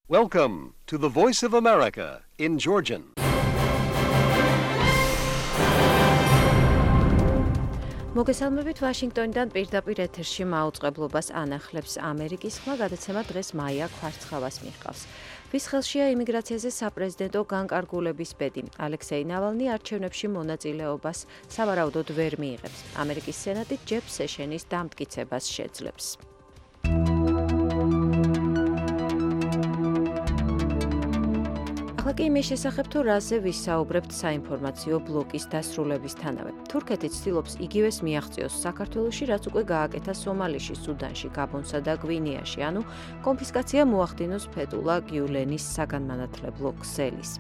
Welcome to the Voice of America in Georgian. მოგესალმებით ვაშინგტონიდან პირდაპირ ეთერში მაუწყებლობას ანახლებს ამერიკის ხმა გადაცემა დღეს მაია კვარცხავას მიჰყავს. ვის ხელშია იმიგრაციაზე საპრეზიდენტო განკარგულების ბედი. ალექსეი ნავალნი არჩევნებში მონაწილეობას სავარაუდოდ ვერ მიიღებს. ამერიკის სენატი ჯეფ სეშენის დამტკიცებას შეძლებს. ახლა კი იმის შესახებ, თუ რაზე ვისაუბრებთ საინფორმაციო ბლოკის დასრულებისთანავე. თურქეთი ცდილობს იგივეს მიაღწიოს საქართველოში, რაც უკვე გააკეთა სომალიში, სუდანში, გაბონსა და გვინეაში, ანუ კონფისკაცია მოახდინოს ფეთულა გიულენის საგანმანათლებლო ქსელის.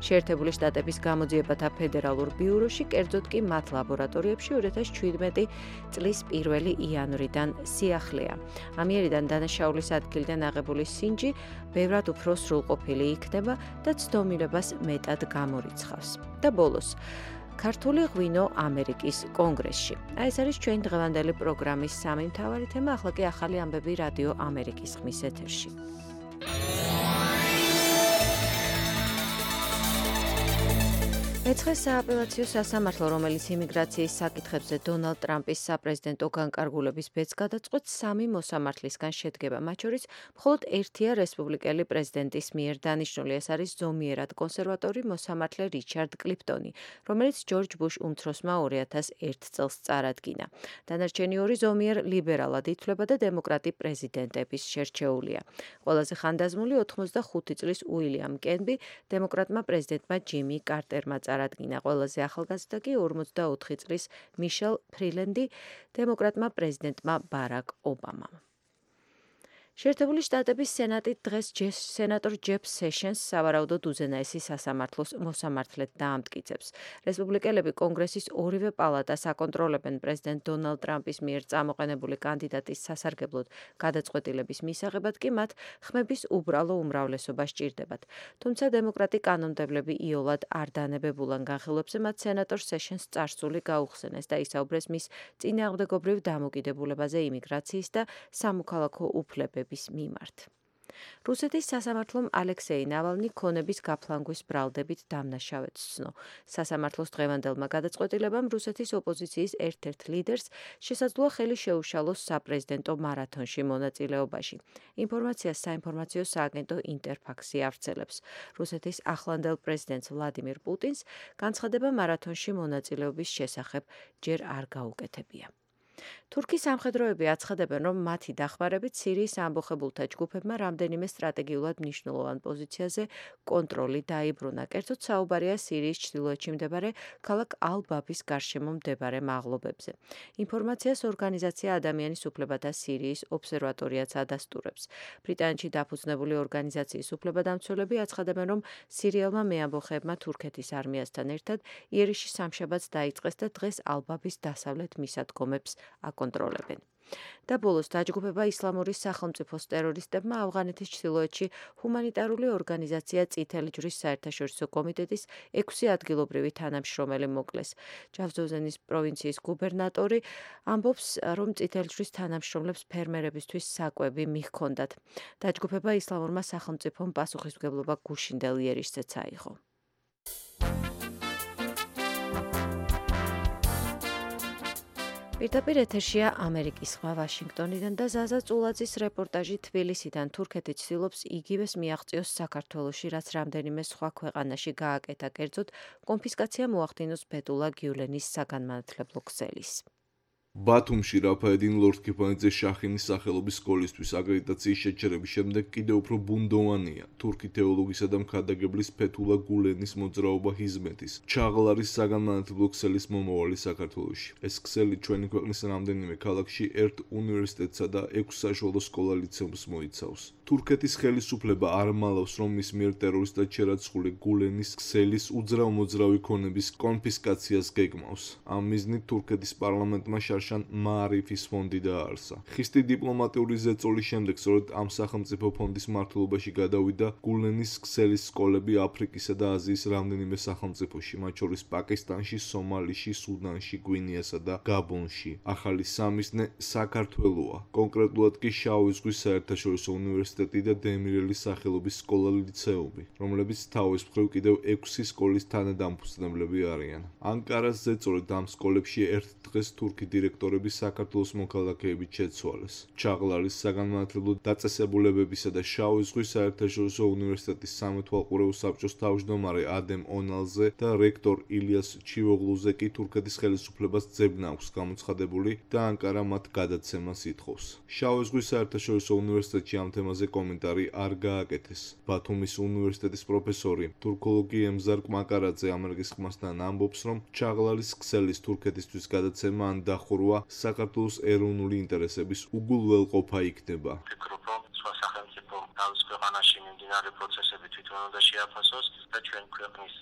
შეერთებული შტატების გამოძიებათა ფედერალურ ბიუროში, კერძოდ კი მათ ლაბორატორიებში 2017 წლის 1 იანვრიდან სიახლეა. ამიერიდან დანაშაულის ადგილიდან აღებული სინჯი ბევრად უფრო სრულყოფილი იქნება და ცდომილებას მეტად გამორიცხავს. და ბოლოს, ქართული ღვინო ამერიკის კონგრესში. ეს არის ჩვენი დღევანდელი პროგრამის სამი მთავარი თემა, ახლა კი ახალი ამბები რადიო ამერიკის ხმის ეთერში. მეცხრე სააპელაციო სასამართლო, რომელიც იმიგრაციის საკითხებზე დონალდ ტრამპის საპრეზიდენტო განკარგულების ბედს გადაწყვეტს, 3 მოსამართლისგან შედგება. მათ შორის მხოლოდ ერთია რესპუბლიკელი პრეზიდენტის მიერ დანიშნული. ეს არის ზომიერად კონსერვატორი მოსამართლე რიჩარდ კლიფტონი, რომელიც ჯორჯ ბუშ უმცროსმა 2001 წელს წარადგინა. დანარჩენი 2 ზომიერ ლიბერალად ითვლება და დემოკრატი პრეზიდენტების შერჩეულია. ყველაზე ხანდაზმული 85 წლის უილიამ კენბი დემოკრატმა პრეზიდენტმა ჯიმი კარტერმა წარადგინა. ყველაზე ახალგაზრდა კი 44 წლის მიშელ ფრილენდი დემოკრატმა პრეზიდენტმა ბარაკ ობამამ. შეერთებული შტატების სენატი დღეს სენატორ ჯეფ სეშენს სავარაუდოდ უზენაესი სასამართლოს მოსამართლედ დაამტკიცებს. რესპუბლიკელები კონგრესის ორივე პალატას აკონტროლებენ პრეზიდენტ დონალდ ტრამპის მიერ წამოყენებული კანდიდატის სასარგებლოდ გადაწყვეტილების მისაღებად კი მათ ხმების უბრალო უმრავლესობა სჭირდებათ. თუმცა დემოკრატი კანონმდებლები იოლად არ დანებებულან განხილვებზე მათ სენატორ სეშენს წარსული გაუხსენეს და ისაუბრეს მის წინააღმდეგობრივ დამოკიდებულებაზე იმიგრაციის და სამოქალაქო უფლებების მიმართ. რუსეთის სასამართლომ ალექსეი ნავალნი ქონების გაფლანგვის ბრალდებით დამნაშავედ სცნო. სასამართლოს დღევანდელმა გადაწყვეტილებამ რუსეთის ოპოზიციის ერთ-ერთ ლიდერს შესაძლოა ხელი შეუშალოს საპრეზიდენტო მარათონში მონაწილეობაში. ინფორმაციას საინფორმაციო სააგენტო ინტერფაქსი ავრცელებს. რუსეთის ახლანდელ პრეზიდენტს ვლადიმირ პუტინს განცხადება მარათონში მონაწილეობის შესახებ ჯერ არ გაუკეთებია. თურქის სამხედროები აცხადებენ, რომ მათი დახმარებით სირიის ამბოხებულთა ჯგუფებმა რამდენიმე სტრატეგიულად მნიშვნელოვან პოზიციაზე კონტროლი დაიბრუნა. კერძოდ საუბარია სირიის ჩრდილოეთში მდებარე ქალაქ ალ-ბაბის გარშემო მდებარე მაღლობებზე. ინფორმაციას ორგანიზაცია ადამიანის უფლებათა სირიის ობსერვატორიაც ადასტურებს. ბრიტანეთში დაფუძნებული ორგანიზაციის უფლებადამცველები აცხადებენ, რომ სირიელმა მეამბოხეებმა თურქეთის არმიასთან ერთად იერიში სამშაბათს დაიწყეს და დღეს ალ-ბაბის დასავლეთ მისადგომებს აკონტროლებენ. და ბოლოს დაჯგუფება ისლამური სახელმწიფოს ტერორისტებმა ავღანეთის ჩრდილოეთში ჰუმანიტარული ორგანიზაცია წითელი ჯვრის საერთაშორისო კომიტეტის 6 ადგილობრივი თანამშრომელი მოკლეს. ჯავზოვზენის პროვინციის გუბერნატორი ამბობს, რომ წითელი ჯვრის თანამშრომლებს ფერმერებისთვის საკვები მიჰქონდათ. დაჯგუფება ისლამურმა სახელმწიფომ პასუხისმგებლობა გუშინდელ იერიშზეც აიღო. პირდაპირ ეთერშია ამერიკის ხმა ვაშინგტონიდან და ზაზა წულაძის რეპორტაჟი თბილისიდან. თურქეთი ცდილობს იგივეს მიაღწიოს საქართველოში, რაც რამდენიმე სხვა ქვეყანაში გააკეთა, კერძოდ კონფისკაცია მოახდინოს ფეთულა გიულენის საგანმანათლებლო ქსელის. ბათუმში რაფაედინ ლორთქიფანიძე შახინის სახელობის სკოლისთვის აკრედიტაციის შეჩერების შემდეგ კიდევ უფრო ბუნდოვანია თურქი თეოლოგისა და მქადაგებლის ფეთულა გულენის მოძრაობა ჰიზმეთის ჩაღლარის საგანმანათლებლო ქსელის მომავალი საქართველოში. ეს ქსელი ჩვენი ქვეყნის რამდენიმე ქალაქში ერთ უნივერსიტეტსა და 6 საშუალო სკოლა-ლიცეუმს მოიცავს. თურქეთის ხელისუფლება არ მალავს, რომ მის მიერ ტერორისტად შერაცხული გულენის ქსელის უძრავ-მოძრავი ქონების კონფისკაციას გეგმავს. ამ მიზნით თურქეთის პარლამენტმა მაშან მაარიფის ფონდი დაარსა. ხისტი დიპლომატიური ზეწოლის შემდეგ სწორედ ამ სახელმწიფო ფონდის მმართველობაში გადავიდა გულენის ქსელის სკოლები აფრიკისა და აზიის რამდენიმე სახელმწიფოში, მათ შორის პაკისტანში, სომალიში, სუდანში, გვინეასა და გაბონში. ახალი სამიზნე საქართველოა. კონკრეტულად კი შავი ზღვის საერთაშორისო უნივერსიტეტი და დემირელის სახელობის სკოლა-ლიცეუმი, რომლებიც თავის მხრივ კიდევ 6 სკოლის თანადამფუძნებლები არიან. ანკარას ზეწოლით ამ სკოლებში ერთ დღეს თურქი დირექტორები საქართველოს მოქალაქეებით შეცვალეს. ჩაღლარის საგანმანათლებლო დაწესებულებებისა და შავი ზღვის საერთაშორისო უნივერსიტეტის სამეთვალყურეო საბჭოს თავმჯდომარე ადემ ონალზე და რექტორ ილიას ჩივოღლუზე კი თურქეთის ხელისუფლებას ძებნა აქვს გამოცხადებული და ანკარა მათ გადაცემას ითხოვს. შავი ზღვის საერთაშორისო უნივერსიტეტში ამ თემაზე კომენტარი არ გააკეთეს. ბათუმის უნივერსიტეტის პროფესორი თურქოლოგი ემზარ კმაკარაძე ამერიკის ხმასთან ამბობს, რომ ჩაღლარის ქსელის თურქეთისთვის გადაცემა ან დახურვა საქართველოს ეროვნული ინტერესების უგულველყოფა იქნება. თავის ქვეყანაში მიმდინარე პროცესები თვითონ უნდა შეაფასოს და ჩვენ ქვეყნის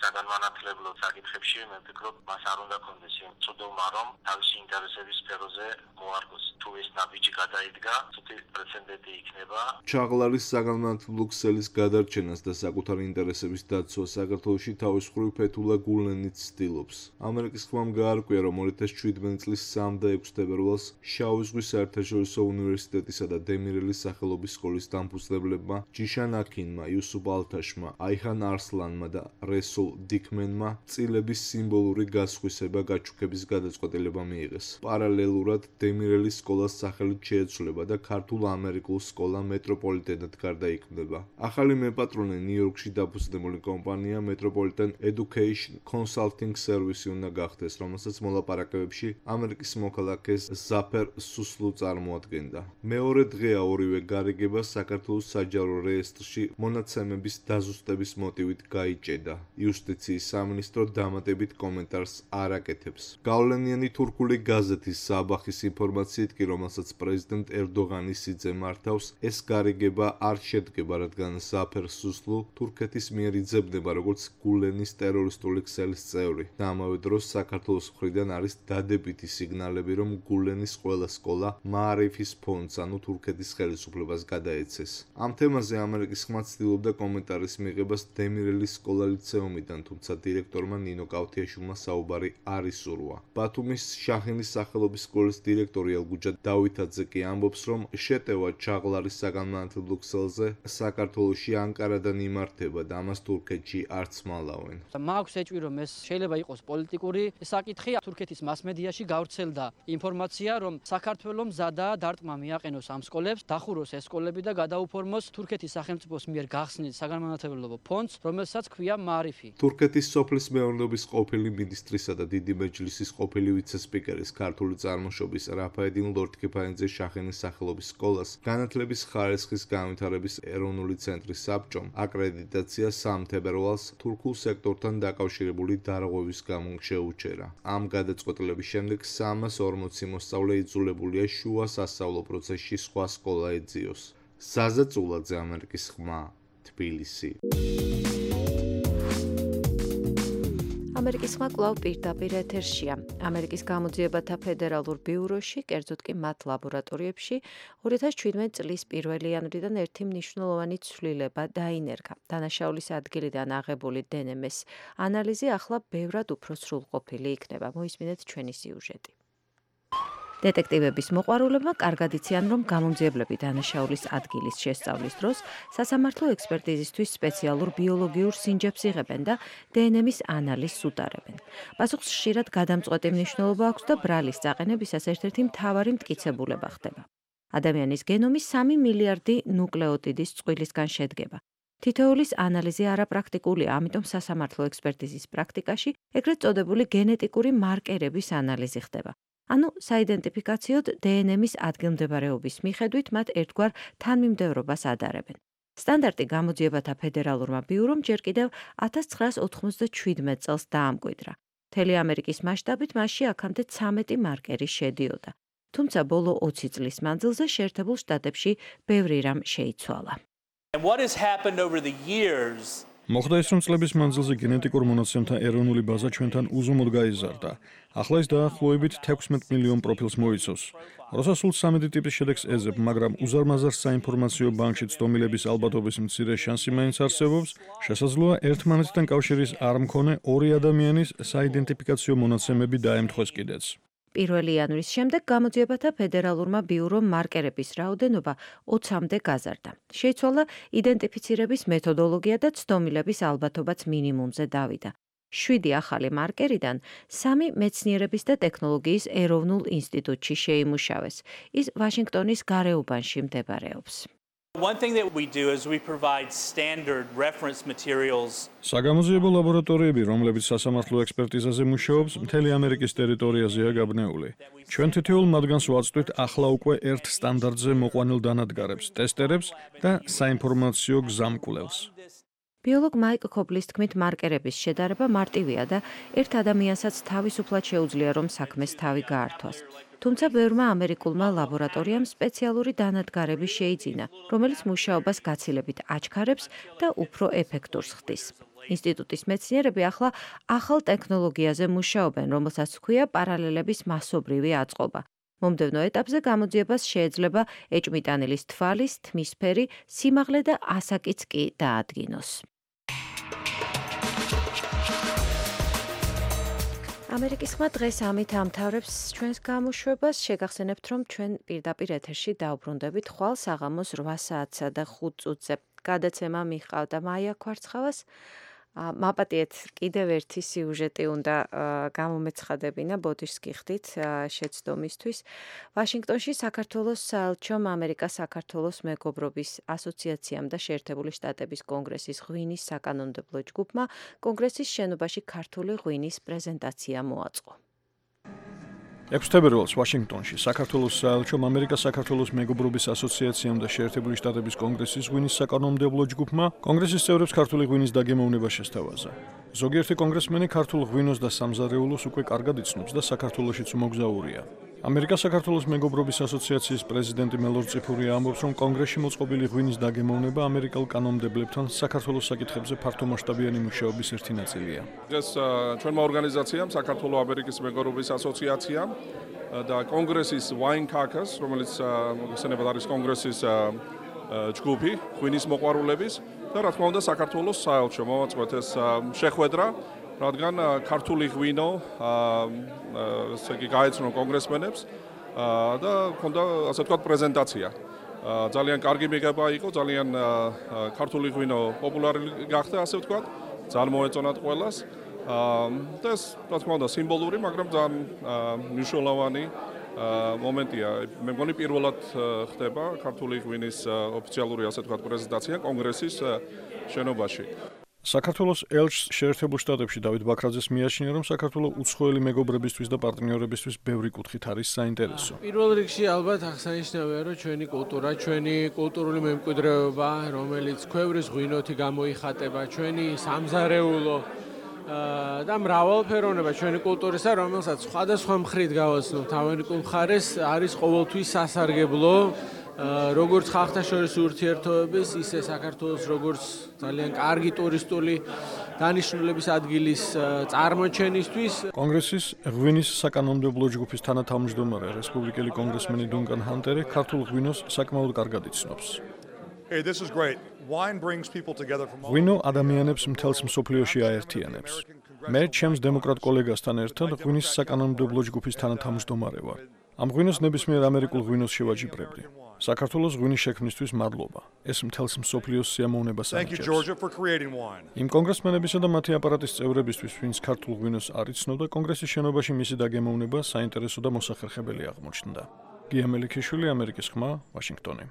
საგანმანათლებლო საკითხებში მე ვფიქრობ, მას არ უნდა კონდეს იმ წოდომა, რომ თავისი ინტერესების სფეროზე მოარგოს. თუ ეს ნაბიჯი გადაიდგა, ცოტა პრეცედენტი იქნება. ჩაღლარის საგანმანათლებლო ქსელის გადარჩენას და საკუთარი ინტერესების დაცვას საქართველოში თავის მხრივ ფეთულა გულენიც ცდილობს. ამერიკის ხმამ გაარკვია, რომ 2017 წლის 3 და 6 თებერვალს შავი ზღვის საერთაშორისო უნივერსიტეტისა და დემირელის სახელობის სკოლის დამფუძნებლებმა ჯიშან აქინმა, იუსუფ ალთაშმა, აიხან არსლანმა და რესულ დიქმენმა წილების სიმბოლური გასხვისება გაჩუქების გადაწყვეტილება მიიღეს. პარალელურად დემირელის სკოლას სახელით შეეცვლება და ქართულ-ამერიკულ სკოლა მეტროპოლიტენად გარდაიქმნება. ახალი მეპატრონე ნიუ-იორკში დაფუძნებული კომპანია Metropolitan Education Consulting Service უნდა გახდეს, რომელსაც მოლაპარაკებებში ამერიკის მოქალაქეს ზაფერ სუსლუ წარმოადგენდა. მეორე დღეა ორივე გარიგება საქართველოს საჯარო რეესტრში მონაცემების დაზუსტების მოტივით გაიჭედა. იუსტიციის სამინისტრო დამატებით კომენტარს არ აკეთებს. გავლენიანი თურქული გაზეთის საბახის ინფორმაციით კი, რომელსაც პრეზიდენტ ერდოღანი სიძე მართავს, ეს გარიგება არ შედგება, რადგან ზაფერ სუსლუ თურქეთის მიერ იძებნება როგორც გულენის ტერორისტული ქსელის წევრი და ამავე დროს საქართველოს მხრიდან არის დადებითი სიგნალები, რომ გულენის ყველა სკოლა მაარიფის ფონდს, ანუ თურქეთის ხელისუფლებას გადაეცეს. ამ თემაზე ამერიკის ხმა ცდილობდა კომენტარის მიღებას დემირელის სკოლა-ლიცეუმიდან, თუმცა დირექტორმა ნინო კავთიაშვილმა საუბარი არ ისურვა. ბათუმის შაჰინის სახელობის სკოლის დირექტორი ელგუჯა დავითაძე კი ამბობს, რომ შეტევა ჩაღლარის საგანმანათლებლო ქსელზე საქართველოში ანკარადან იმართება და ამას თურქეთში არც მალავენ. მაქვს ეჭვი, რომ ეს შეიძლება იყოს პოლიტიკური საკითხი. თურქეთის მასმედიაში გავრცელდა ინფორმაცია, რომ საქართველოს მზადაა დარტყმა მიაყენოს ამ სკოლებს, დახუროს ეს სკოლები და გადაუფორმოს თურქეთის სახელმწიფოს მიერ გახსნილ საგანმანათლებლო ფონდს, რომელსაც ქვია მაარიფი. თურქეთის სოფლის მეურნეობის ყოფილი მინისტრისა და დიდი მეჯლისის ყოფილი ვიცე-სპიკერის ქართული წარმოშობის რაფაედინ ლორთქიფანიძე შაჰინის სახელობის სკოლას განათლების ხარისხის განვითარების ეროვნული ცენტრის საბჭომ აკრედიტაცია 3 თებერვალს თურქულ სექტორთან დაკავშირებული დარღვევის გამო შეუჩერა. ამ გადაწყვეტილების შემდეგ 340 მოსწავლე იძულებულია შუა სასწავლო პროცესში სხვა სკოლა ეძიოს. საზა წულაძე, ამერიკის ხმა, თბილისი. ამერიკის ხმა კვლავ პირდაპირ ეთერშია. ამერიკის გამოძიებათა ფედერალურ ბიუროში, კერძოდ კი მათ ლაბორატორიებში 2017 წლის 1 იანვრიდან ერთი მნიშვნელოვანი ცვლილება დაინერგა. დანაშაულის ადგილიდან აღებული დნმ-ის ანალიზი ახლა ბევრად უფრო სრულყოფილი იქნება. მოისმინეთ ჩვენი სიუჟეტი. დეტექტივების მოყვარულებმა კარგად იციან, რომ გამომძიებლები დანაშაულის ადგილის შესწავლის დროს სასამართლო ექსპერტიზისთვის სპეციალურ ბიოლოგიურ სინჯებს იღებენ და დნმ-ის ანალიზს უტარებენ. პასუხს ხშირად გადამწყვეტი მნიშვნელობა აქვს და ბრალის წაყენებისას ერთ-ერთი მთავარი მტკიცებულება ხდება. ადამიანის გენომი 3 მილიარდი ნუკლეოტიდის წყვილისგან შედგება. თითოეულის ანალიზი არაპრაქტიკულია, ამიტომ სასამართლო ექსპერტიზის პრაქტიკაში ეგრეთ წოდებული გენეტიკური მარკერების ანალიზი ხდება. ანუ საიდენტიფიკაციოდ დნმ-ის ადგილმდებარეობის მიხედვით მათ ერთგვარ თანმიმდევრობას ადარებენ. სტანდარტი გამოძიებათა ფედერალურმა ბიურომ ჯერ კიდევ 1997 წელს დაამკვიდრა. მთელი ამერიკის მასშტაბით მასში აქამდე 13 მარკერი შედიოდა. თუმცა ბოლო 20 წლის მანძილზე შეერთებულ შტატებში ბევრი რამ შეიცვალა. And what has happened over the years მოხდა ის, რომ წლების მანძილზე გენეტიკურ მონაცემთა ეროვნული ბაზა ჩვენთან უზომოდ გაიზარდა. ახლა ის დაახლოებით 16 მილიონ პროფილს მოიცავს. როცა სულ 13 ტიპის შედეგს ეძებ, მაგრამ უზარმაზარ საინფორმაციო ბანკში ცდომილების ალბათობის მცირე შანსი მაინც არსებობს, შესაძლოა ერთმანეთთან კავშირის არ მქონე ორი ადამიანის საიდენტიფიკაციო მონაცემები დაემთხვეს კიდეც. 1 იანვრის შემდეგ გამოძიებათა ფედერალურმა ბიურომ მარკერების რაოდენობა 20-მდე გაზარდა. შეიცვალა იდენტიფიცირების მეთოდოლოგია და ცდომილების ალბათობაც მინიმუმზე დავიდა. 7 ახალი მარკერიდან 3 მეცნიერების და ტექნოლოგიის ეროვნულ ინსტიტუტში შეიმუშავეს. ის ვაშინგტონის გარეუბანში მდებარეობს. One thing that we do is we provide standard reference materials. საგამოძიებო ლაბორატორიები, რომლებიც სასამართლო ექსპერტიზაზე მუშაობს, მთელი ამერიკის ტერიტორიაზეა გაბნეული. ჩვენ თითოეულ მათგანს ვაწვდით ახლა უკვე ერთ სტანდარტზე მოყვანილ დანადგარებს, ტესტერებს და საინფორმაციო გზამკვლევს. ბიოლოგ მაიკ ქობლის თქმით, მარკერების შედარება მარტივია და ერთ ადამიანსაც თავისუფლად შეუძლია, რომ საქმეს თავი გაართვას. თუმცა ბევრმა ამერიკულმა ლაბორატორიამ სპეციალური დანადგარები შეიძინა, რომელიც მუშაობას გაცილებით აჩქარებს და უფრო ეფექტურს ხდის. ინსტიტუტის მეცნიერები ახლა ახალ ტექნოლოგიაზე მუშაობენ, რომელსაც ჰქვია პარალელების მასობრივი აწყობა. მომდევნო ეტაპზე გამოძიებას შეეძლება ეჭვმიტანილის თვალის, თმისფერი, სიმაღლე და ასაკიც კი დაადგინოს. ამერიკის ხმა დღეს ამით ამთავრებს ჩვენს გამოშვებას. შეგახსენებთ, რომ ჩვენ პირდაპირ ეთერში დაუბრუნდებით ხვალ საღამოს 8 საათსა და 5 წუთზე. გადაცემა მიჰყავდა მაია კვარცხავას. მაპატიეთ კიდევ ერთი სიუჟეტი უნდა გამომეცხადებინა ბოდიშს გიხდით შეცდომისთვის. ვაშინგტონში საქართველოს საელჩომ ამერიკა-საქართველოს მეგობრობის ასოციაციამ და შეერთებული შტატების კონგრესის ღვინის საკანონმდებლო ჯგუფმა კონგრესის შენობაში ქართული ღვინის პრეზენტაცია მოაწყო. 6 თებერვალს ვაშინგტონში საქართველოს საელჩომ ამერიკა-საქართველოს მეგობრობის ასოციაციამ და შეერთებული შტატების კონგრესის ღვინის საკანონმდებლო ჯგუფმა კონგრესის წევრებს ქართული ღვინის დაგემოვნება შესთავაზა. ზოგიერთი კონგრესმენი ქართულ ღვინოს და სამზარეულოს უკვე კარგად იცნობს და საქართველოშიც უმოგზაურია. ამერიკა-საქართველოს მეგობრობის ასოციაციის პრეზიდენტი მელორ წიფურია ამბობს, რომ კონგრესში მოწყობილი ღვინის დაგემოვნება ამერიკელ კანონმდებლებთან საქართველოს საკითხებზე ფართომასშტაბიანი მუშაობის ერთი ნაწილია. დღეს ჩვენმა ორგანიზაციამ საქართველოს ამერიკის მეგობრობის ასოციაციამ და კონგრესის Wine Caucus, რომელიც მოგხსენებათ არის კონგრესის ჯგუფი ღვინის მოყვარულების და რა თქმა უნდა საქართველოს საელჩო მოვაწყვეთ ეს შეხვედრა, რადგან ქართული ღვინო ესე იგი გაეცნო კონგრესმენებს და ჰქონდა ასე ვთქვათ პრეზენტაცია. ძალიან კარგი მიღება იყო, ძალიან ქართული ღვინო პოპულარი გახდა, ასე ვთქვათ, ძალიან მოეწონათ ყველას. და ეს რა თქმა უნდა სიმბოლური, მაგრამ ძალიან მნიშვნელოვანი მომენტია. მე მგონი პირველად ხდება ქართული ღვინის ოფიციალური ასე ვთქვათ პრეზენტაცია კონგრესის შენობაში. საქართველოს ელჩს შეერთებულ შტატებში დავით ბაქრაძეს მიაჩნია, რომ საქართველოს უცხოელი მეგობრებისთვის და პარტნიორებისთვის ბევრი კუთხით არის საინტერესო. პირველ რიგში ალბათ აღსანიშნავია, რომ ჩვენი კულტურა, ჩვენი კულტურული მემკვიდრეობა, რომელიც ქვევრის ღვინოთი გამოიხატება, ჩვენი სამზარეულო და მრავალფეროვნება ჩვენი კულტურისა, რომელსაც სხვადასხვა მხრით გავაცნობთ ამერიკულ მხარეს, არის ყოველთვის სასარგებლო. როგორც ხალხთაშორისი ურთიერთობების, ისე საქართველოს როგორც ძალიან კარგი ტურისტული დანიშნულების ადგილის წარმოჩენისთვის. კონგრესის ღვინის საკანონმდებლო ჯგუფის თანათავმჯდომარე რესპუბლიკელი კონგრესმენი დუნკან ჰანტერი ქართულ ღვინოს საკმაოდ კარგად იცნობს. Hey, this is great. Wine brings people together from all ღვინო ადამიანებს მთელს მსოფლიოში აერთიანებს. მე ჩემს დემოკრატ კოლეგასთან ერთად ღვინის საკანონმდებლო ჯგუფის თანათავმჯდომარე ვარ. ამ ღვინოს ნებისმიერ ამერიკულ ღვინოს შევაჯიბრებდი. საქართველოს ღვინის შექმნისთვის მადლობა. ეს მთელს მსოფლიოს სიამოვნებას Georgia for creating wine. იმ კონგრესმენებისა და მათი აპარატის წევრებისთვის, ვინც ქართულ ღვინოს არ იცნობდა, კონგრესის შენობაში მისი დაგემოვნება საინტერესო და მოსახერხებელი აღმოჩნდა. გია მელიქიშვილი, ამერიკის ხმა, ვაშინგტონი.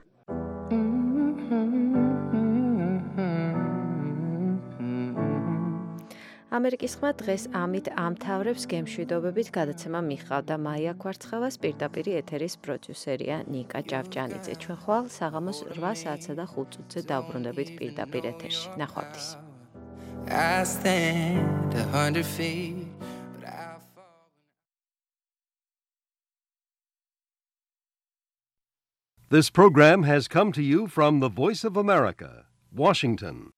ამერიკის ხმა დღეს ამით ამთავრებს გემშვიდობებით. გადაცემა მიჰყავდა მაია კვარცხავას, პირდაპირ ეთერის პროდიუსერია ნიკა ჭავჭანიძე. ჩვენ ხვალ საღამოს 8 საათსა და 5 წუთზე დავბრუნდებით პირდაპირ ეთერში. ნახვამდის. This program has come to you from the Voice of America, Washington.